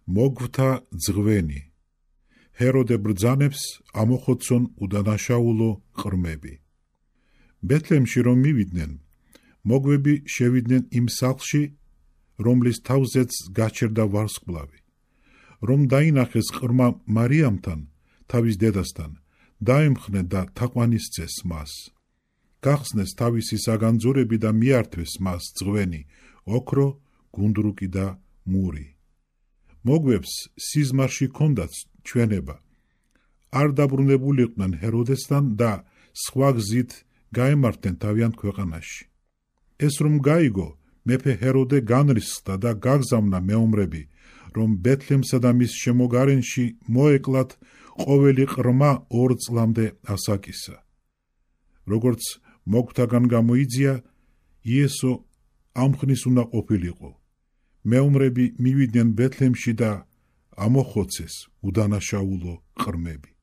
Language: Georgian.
მოგვთა ძღვენი. ჰეროდე ბრძანებს ამოხოცონ უდანაშაულო ყრმები. ბეთლემში რომ მივიდნენ, მოგვები შევიდნენ იმ სახლში, რომლის თავზეც გაჩერდა ვარსკვლავი. რომ დაინახეს ყრმა მარიამთან, თავის დედასთან, დაემხნე და თაყვანისცეს მას. გახსნეს თავისი საგანძურები და მიართვეს მას ძღვენი, ოქრო, გუნდრუკი და მური. მოგვებს სიზმარში ჰქონდათ ჩვენება. არ დაბრუნებულიყვნენ ჰეროდესთან და სხვა გზით გაემართნენ თავიანთ ქვეყანაში. ეს რომ გაიგო, მეფე ჰეროდე განრისხდა და გაგზავნა მეომრები, რომ ბეთლემსა და მის შემოგარენში მოეკლათ ყოველი ყრმა 2 წლამდე ასაკისა. როგორც მოგვთაგან გამოიძია, იესო ამ ხნის უნდა ყოფილიყო. მეომრები მივიდნენ ბეთლემში და ამოხოცეს უდანაშაულო ყრმები.